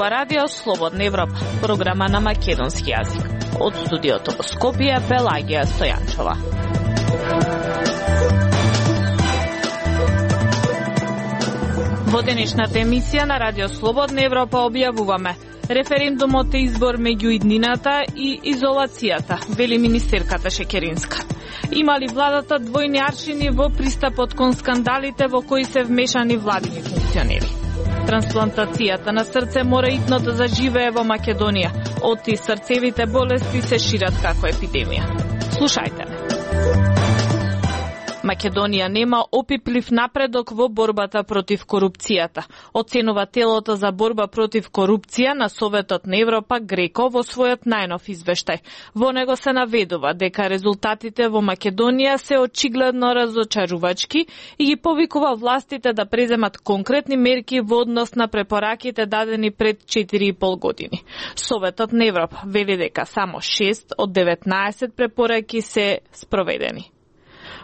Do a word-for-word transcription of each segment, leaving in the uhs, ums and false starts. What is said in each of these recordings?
ова радио Слободна Европа, програма на македонски јазик. Од студиото во Скопје, Пелагија Стојанчова. Во денешната емисија на радио Слободна Европа објавуваме: референдумот е избор меѓу иднината и изолацијата, вели министерката Шекеринска. Има ли владата двојни аршини во пристапот кон скандалите во кои се вмешани владини функционери? Трансплантацијата на срце мора итно да заживее во Македонија. Отти срцевите болести се шират како епидемија. Слушајте ме. Македонија нема опиплив напредок во борбата против корупцијата, оценува телото за борба против корупција на Советот на Европа Греко во својот најнов извештај. Во него се наведува дека резултатите во Македонија се очигледно разочарувачки и ги повикува властите да преземат конкретни мерки во однос на препораките дадени пред четири и пол години. Советот на Европа вели дека само шест од деветнаесет препораки се спроведени.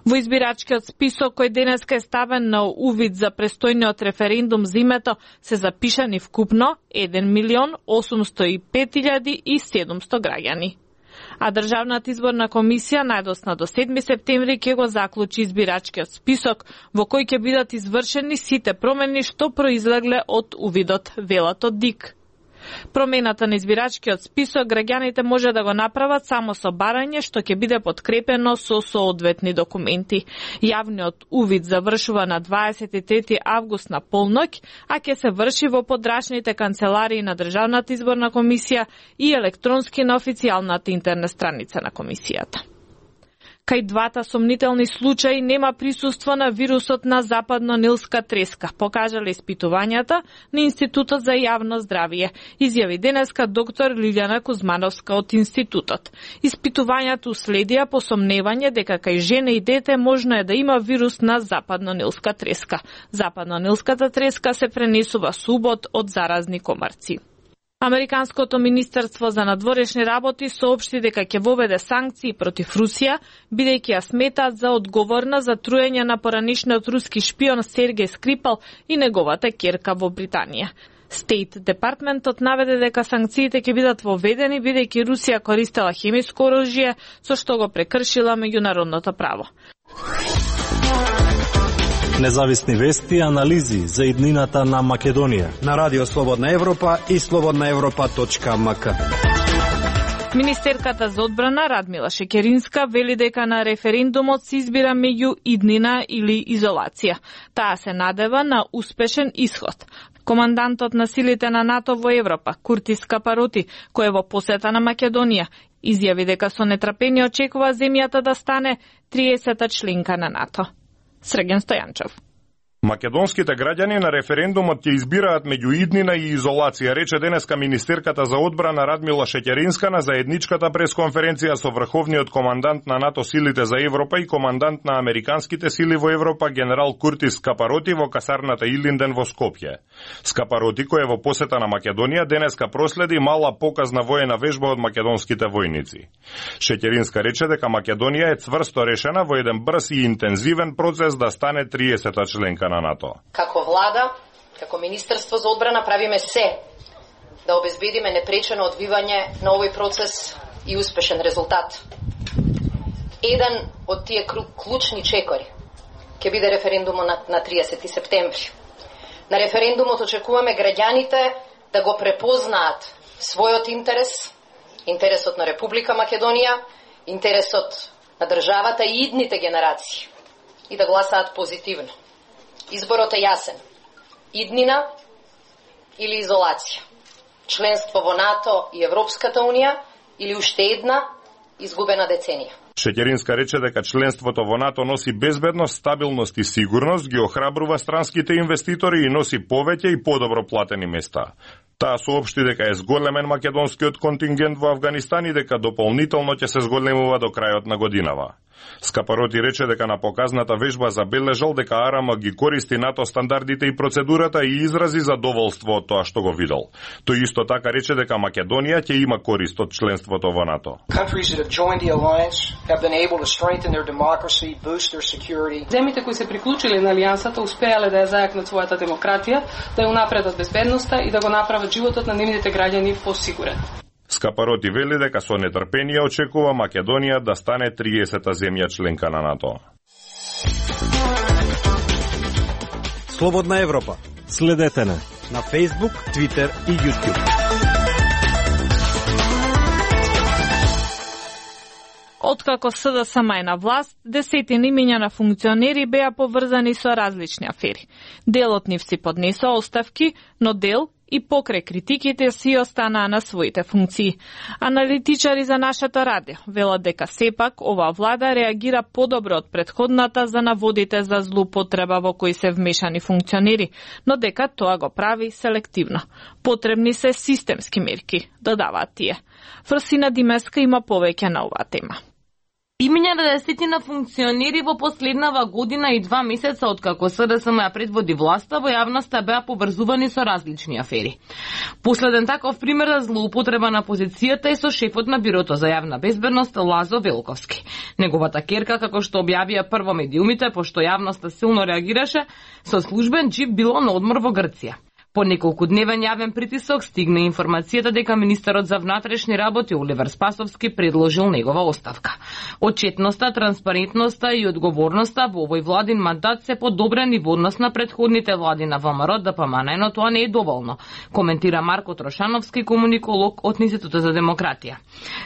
Во избирачкиот список кој денеска е ставен на увид за престојниот референдум за името се запишани вкупно еден милион осумсто и пет илјади и седумсто граѓани. А Државната изборна комисија најдосна до седми септември ќе го заклучи избирачкиот список во кој ќе бидат извршени сите промени што произлегле од увидот, велат од ДИК. Промената на избирачкиот список граѓаните може да го направат само со барање што ќе биде подкрепено со соодветни документи. Јавниот увид завршува на дваесет и трети август на полноќ, а ќе се врши во подрачните канцеларии на Државната изборна комисија и електронски на официјалната интернет страница на комисијата. Кај двата сомнителни случаи нема присуство на вирусот на западно-нилска треска, покажале испитувањата на Институтот за јавно здравје, изјави денеска доктор Лилјана Кузмановска од институтот. Испитувањата уследија по сомневање дека кај жена и дете можно е да има вирус на западно-нилска треска. Западно-нилската треска се пренесува со убод од заразни комарци. Американското министерство за надворешни работи соопшти дека ќе воведе санкции против Русија, бидејќи ја сметаат за одговорна за труење на поранишниот руски шпион Сергеј Скрипал и неговата ќерка во Британија. Стейт департментот наведе дека санкциите ќе бидат воведени бидејќи Русија користела хемиско оружје со што го прекршила меѓународното право. Независни вести и анализи за иднината на Македонија на Радио Слободна Европа и слободна европа точка ем ка. Министерката за одбрана Радмила Шекеринска вели дека на референдумот се избира меѓу иднина или изолација. Таа се надева на успешен исход. Командантот на силите на НАТО во Европа, Куртис Капароти, кој е во посета на Македонија, изјави дека со нетрпение очекува земјата да стане триесета членка на НАТО. Срген Стојанчов. Македонските граѓани на референдумот ќе избираат меѓу иднина и изолација, рече денеска министерката за одбрана Радмила Шекеринска на заедничката пресконференција со врховниот командант на НАТО силите за Европа и командант на американските сили во Европа генерал Куртис Капароти во касарната Илинден во Скопје. Скапароти, кој е во посета на Македонија, денеска проследи мала показна воена вежба од македонските војници. Шекеринска рече дека Македонија е цврсто решена во еден брз и интензивен процес да стане триесета членка на НАТО. Како влада, како Министерство за одбрана правиме се да обезбедиме непречено одвивање на овој процес и успешен резултат. Еден од тие клучни чекори ќе биде референдумот на, на триесети септември. На референдумот очекуваме граѓаните да го препознаат својот интерес, интересот на Република Македонија, интересот на државата и идните генерации и да гласаат позитивно. Изборот е јасен. Иднина или изолација. Членство во НАТО и Европската Унија или уште една изгубена деценија. Шекеринска рече дека членството во НАТО носи безбедност, стабилност и сигурност, ги охрабрува странските инвеститори и носи повеќе и подобро платени места. Таа соопшти дека е зголемен македонскиот контингент во Авганистан и дека дополнително ќе се зголемува до крајот на годинава. Скапароти рече дека на показната вежба забележал дека АРМ ги користи НАТО стандардите и процедурата и изрази задоволство од тоа што го видел. Тој исто така рече дека Македонија ќе има корист од членството во НАТО. Земјите кои се приклучиле на алијансата успеале да ја зајакнат својата демократија, да ја унапредат безбедноста и да го направат животот на нивните граѓани посигурен. Скапароти вели дека со нетрпение очекува Македонија да стане триесета земја членка на НАТО. Слободна Европа. Следете не на Facebook, Twitter и YouTube. Откако СДСМ е на власт, десетини имиња на функционери беа поврзани со различни афери. Дел од нив си поднесоа оставки, но дел и покрај критиките си останаа на своите функции. Аналитичари за нашето радио велат дека сепак оваа влада реагира подобро од претходната за наводите за злоупотреба во кои се вмешани функционери, но дека тоа го прави селективно. Потребни се системски мерки, додаваат тие. Фрсина Димеска има повеќе на оваа тема. Имиња на десетина функционери во последнава година и два месеца откако СДСМ ја предводи власта во јавноста беа поврзувани со различни афери. Последен таков пример за злоупотреба на позицијата е со шефот на Бирото за јавна безбедност Лазо Велковски. Неговата керка, како што објавија прво медиумите, пошто јавноста силно реагираше, со службен џип било на одмор во Грција. По неколку дневен јавен притисок стигна информацијата дека министерот за внатрешни работи Оливер Спасовски предложил негова оставка. Отчетноста, транспарентноста и одговорноста во овој владин мандат се подобрени во однос на претходните влади на ВМРО ДПМН, но тоа не е доволно, коментира Марко Трошановски, комуниколог од Институтот за демократија.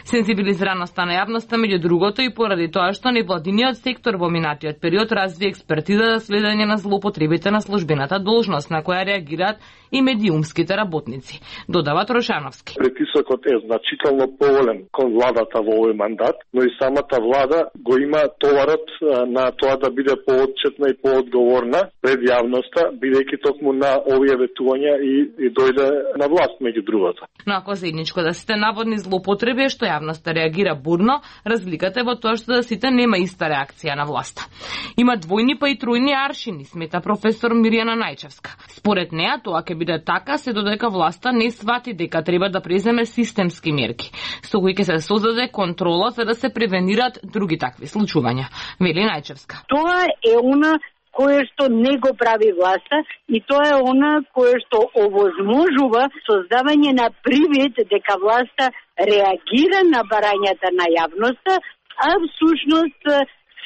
Сензибилизираноста на јавноста меѓу другото и поради тоа што невладиниот сектор во минатиот период разви експертиза за следење на злоупотребите на службената должност на која реагираат и медиумските работници, додава Трошановски. Притисокот е значително поголем кон владата во овој мандат, но и самата влада го има товарот на тоа да биде поотчетна и поодговорна пред јавноста, бидејќи токму на овие ветувања и, и дојде на власт меѓу другото. Но ако заедничко да сите наводни злоупотреби што јавноста реагира бурно, разликата е во тоа што да сите нема иста реакција на власта. Има двојни па и тројни аршини, смета професор Мирјана Најчевска. Според неа тоа ќе биде така се додека власта не свати дека треба да преземе системски мерки, со кои ќе се создаде контрола за да се превенираат други такви случувања. Вели Најчевска. Тоа е она кое што не го прави власта и тоа е она кое што овозможува создавање на привид дека власта реагира на барањата на јавноста, а всушност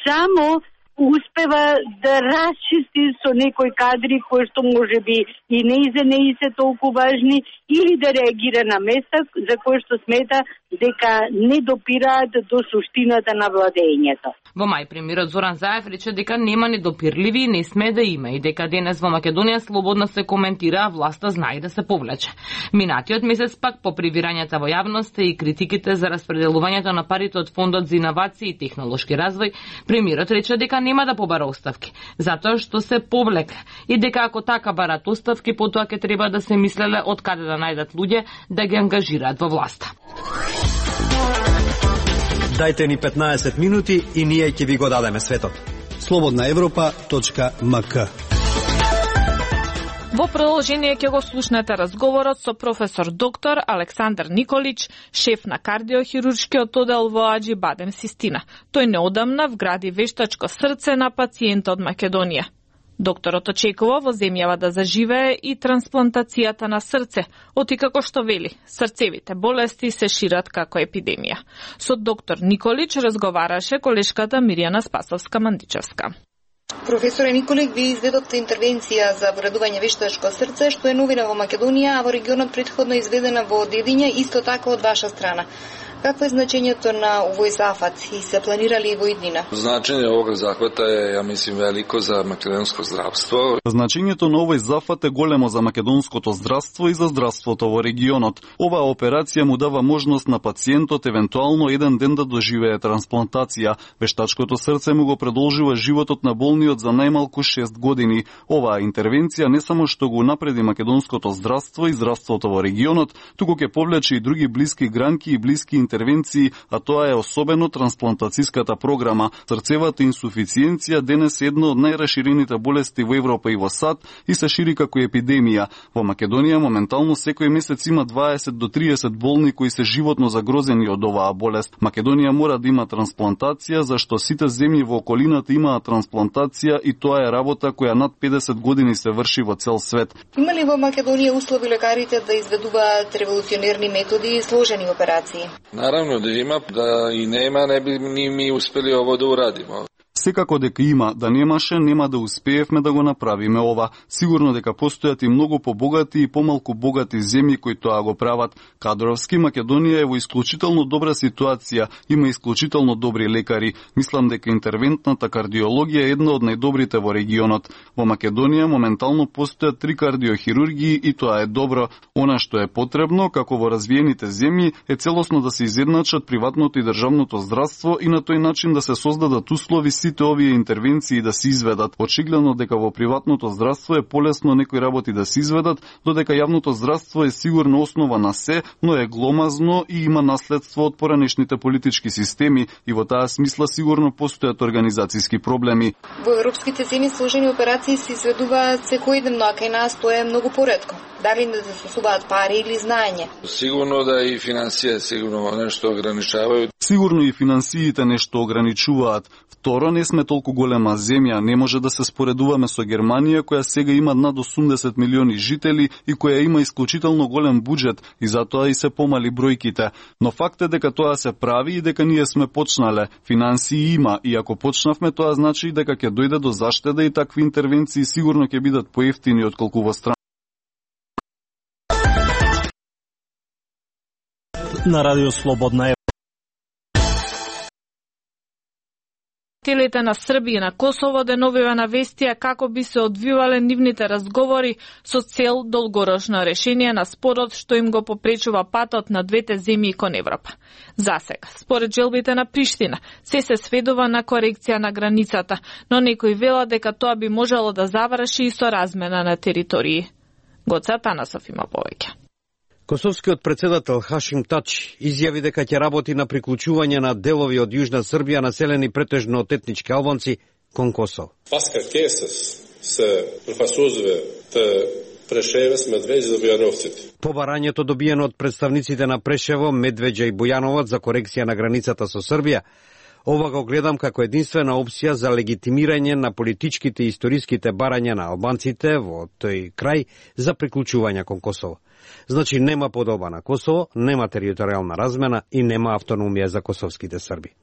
само успева да расчисти со некои кадри кои што може би и не и за не се толку важни или да реагира на места за кои што смета дека не допираат до суштината на владењето. Во мај премиерот Зоран Заев рече дека нема недопирливи и не сме да има и дека денес во Македонија слободно се коментира, а власта знае да се повлече. Минатиот месец пак по привирањата во јавноста и критиките за распределувањето на парите од Фондот за иновации и технолошки развој, премиерот рече дека нема да побара оставки, затоа што се повлека и дека ако така барат оставки, потоа ќе треба да се мислеле од каде да најдат луѓе да ги ангажираат во власта. Дајте ни петнаесет минути и ние ќе ви го дадеме светот. слободна европа точка ем ка. Во продолжение ќе го слушнете разговорот со професор доктор Александар Николич, шеф на кардиохируршкиот оддел во Аџи Бадем Систина. Тој неодамна вгради вештачко срце на пациент од Македонија. Докторот очекува во земјава да заживее и трансплантацијата на срце, оти како што вели, срцевите болести се шират како епидемија. Со доктор Николич разговараше колешката Мирјана Спасовска-Мандичевска. Професоре Николик, ви изведовте интервенција за вградување вештачко срце, што е новина во Македонија, а во регионот претходно изведена во Дедиња, исто така од ваша страна. Какво е значењето на овој зафат и се планирали во иднина? Значење овој захват е, ја мислим, велико за македонско здравство. Значењето на овој зафат е големо за македонското здравство и за здравството во регионот. Оваа операција му дава можност на пациентот евентуално еден ден да доживее трансплантација. Вештачкото срце му го продолжува животот на болниот за најмалку шест години. Оваа интервенција не само што го напреди македонското здравство и здравството во регионот, туку ќе повлече и други блиски гранки и блиски интервенции, а тоа е особено трансплантацијската програма. Срцевата инсуфициенција денес е една од најраширените болести во Европа и во САД и се шири како епидемија. Во Македонија моментално секој месец има дваесет до триесет болни кои се животно загрозени од оваа болест. Македонија мора да има трансплантација, зашто сите земји во околината имаат трансплантација и тоа е работа која над педесет години се врши во цел свет. Има ли во Македонија услови лекарите да изведуваат револуционерни методи и сложени операции? Наравно да има, да и нема, не би ни ми успели ово да урадиме. Секако дека има, да немаше, нема да успеевме да го направиме ова. Сигурно дека постојат и многу побогати и помалку богати земји кои тоа го прават. Кадровски Македонија е во исклучително добра ситуација, има исклучително добри лекари. Мислам дека интервентната кардиологија е една од најдобрите во регионот. Во Македонија моментално постојат три кардиохирургии и тоа е добро. Она што е потребно, како во развиените земји, е целосно да се изедначат приватното и државното здравство и на тој начин да се создадат услови сите овие интервенции да се изведат. Очигледно дека во приватното здравство е полесно некои работи да се изведат, додека јавното здравство е сигурно основа на се, но е гломазно и има наследство од поранешните политички системи и во таа смисла сигурно постојат организацијски проблеми. Во европските земји сложени операции се изведуваат секојдневно, а кај нас тоа е многу поретко. Дали не се сосуваат пари или знаење? Сигурно да и финансија сигурно нешто ограничаваат. Сигурно и финансиите нешто ограничуваат. Второ, не сме толку голема земја, не може да се споредуваме со Германија, која сега има над осумдесет милиони жители и која има исклучително голем буџет и затоа и се помали бројките. Но факт е дека тоа се прави и дека ние сме почнале. Финансии има и ако почнавме, тоа значи дека ќе дојде до заштеда и такви интервенции сигурно ќе бидат поевтини отколку во страна. На Радио Слободна Телите на Србија и на Косово деновива навестија како би се одвивале нивните разговори со цел долгорочно решение на спорот што им го попречува патот на двете земји кон Европа. Засега, според желбите на Приштина, се се сведува на корекција на границата, но некои велат дека тоа би можело да заврши и со размена на територии. Гоце Атанасов има повеќе. Косовскиот председател Хашим Тач изјави дека ќе работи на приклучување на делови од Јужна Србија населени претежно од етнички албанци кон Косово. Паска Кесес се профасузве те Прешевес, Медвеđa и Бојановците. По барањето добиено од представниците на Прешево, Медвеđa и Бојановаc за корекција на границата со Србија, ова го гледам како единствена опција за легитимирање на политичките и историските барања на албанците во тој крај за приклучување кон Косово. Значи нема подоба на Косово, нема територијална размена и нема автономија за косовските срби.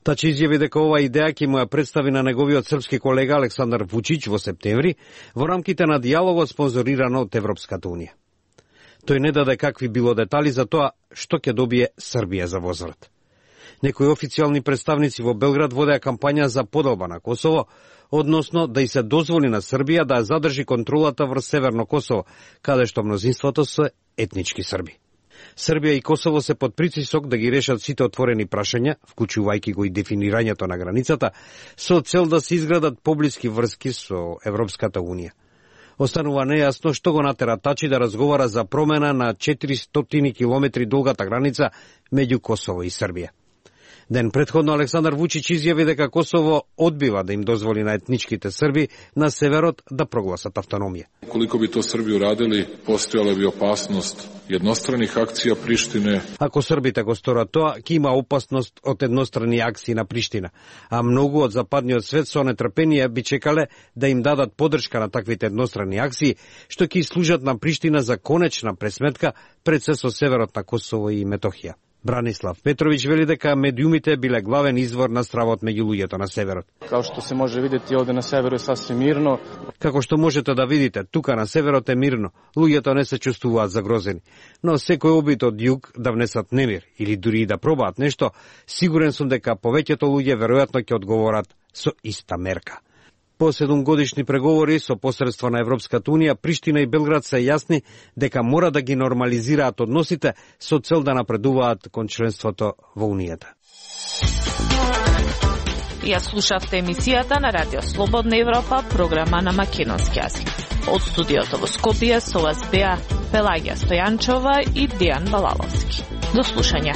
Тачи изјави дека ова идеја ќе му ја представи на неговиот српски колега Александар Вучич во септември во рамките на дијалогот спонзориран од Европската унија. Тој не даде какви било детали за тоа што ќе добие Србија за возврат. Некои официјални представници во Белград водеа кампања за подоба на Косово, односно да и се дозволи на Србија да задржи контролата врз Северно Косово, каде што мнозинството се етнички срби. Србија и Косово се под притисок да ги решат сите отворени прашања, вклучувајќи го и дефинирањето на границата, со цел да се изградат поблиски врски со Европската унија. Останува нејасно што го натера Тачи да разговара за промена на четиристотини километри долгата граница меѓу Косово и Србија. Ден предходно Александар Вучич изјави дека Косово одбива да им дозволи на етничките срби на северот да прогласат автономија. Колико би то Срби урадили, постојала би опасност едностраних акција Приштине. Ако србите го сторат тоа, ќе има опасност од еднострани акции на Приштина, а многу од западниот свет со нетрпение би чекале да им дадат подршка на таквите еднострани акции, што ќе служат на Приштина за конечна пресметка пред се со северот на Косово и Метохија. Бранислав Петрович вели дека медиумите биле главен извор на стравот меѓу луѓето на северот. Као што се може видети овде на северот е сасвим мирно. Како што можете да видите, тука на северот е мирно. Луѓето не се чувствуваат загрозени. Но секој обид од југ да внесат немир или дури и да пробаат нешто, сигурен сум дека повеќето луѓе веројатно ќе одговорат со иста мерка. По седумгодишни преговори со посредство на Европската унија, Приштина и Белград се јасни дека мора да ги нормализираат односите со цел да напредуваат кон членството во Унијата. Ја слушавте емисијата на Радио Слободна Европа, програма на македонски јазик. Од студиото во Скопје со вас беа Пелагија Стојанчова и Дијан Балаловски. До слушање.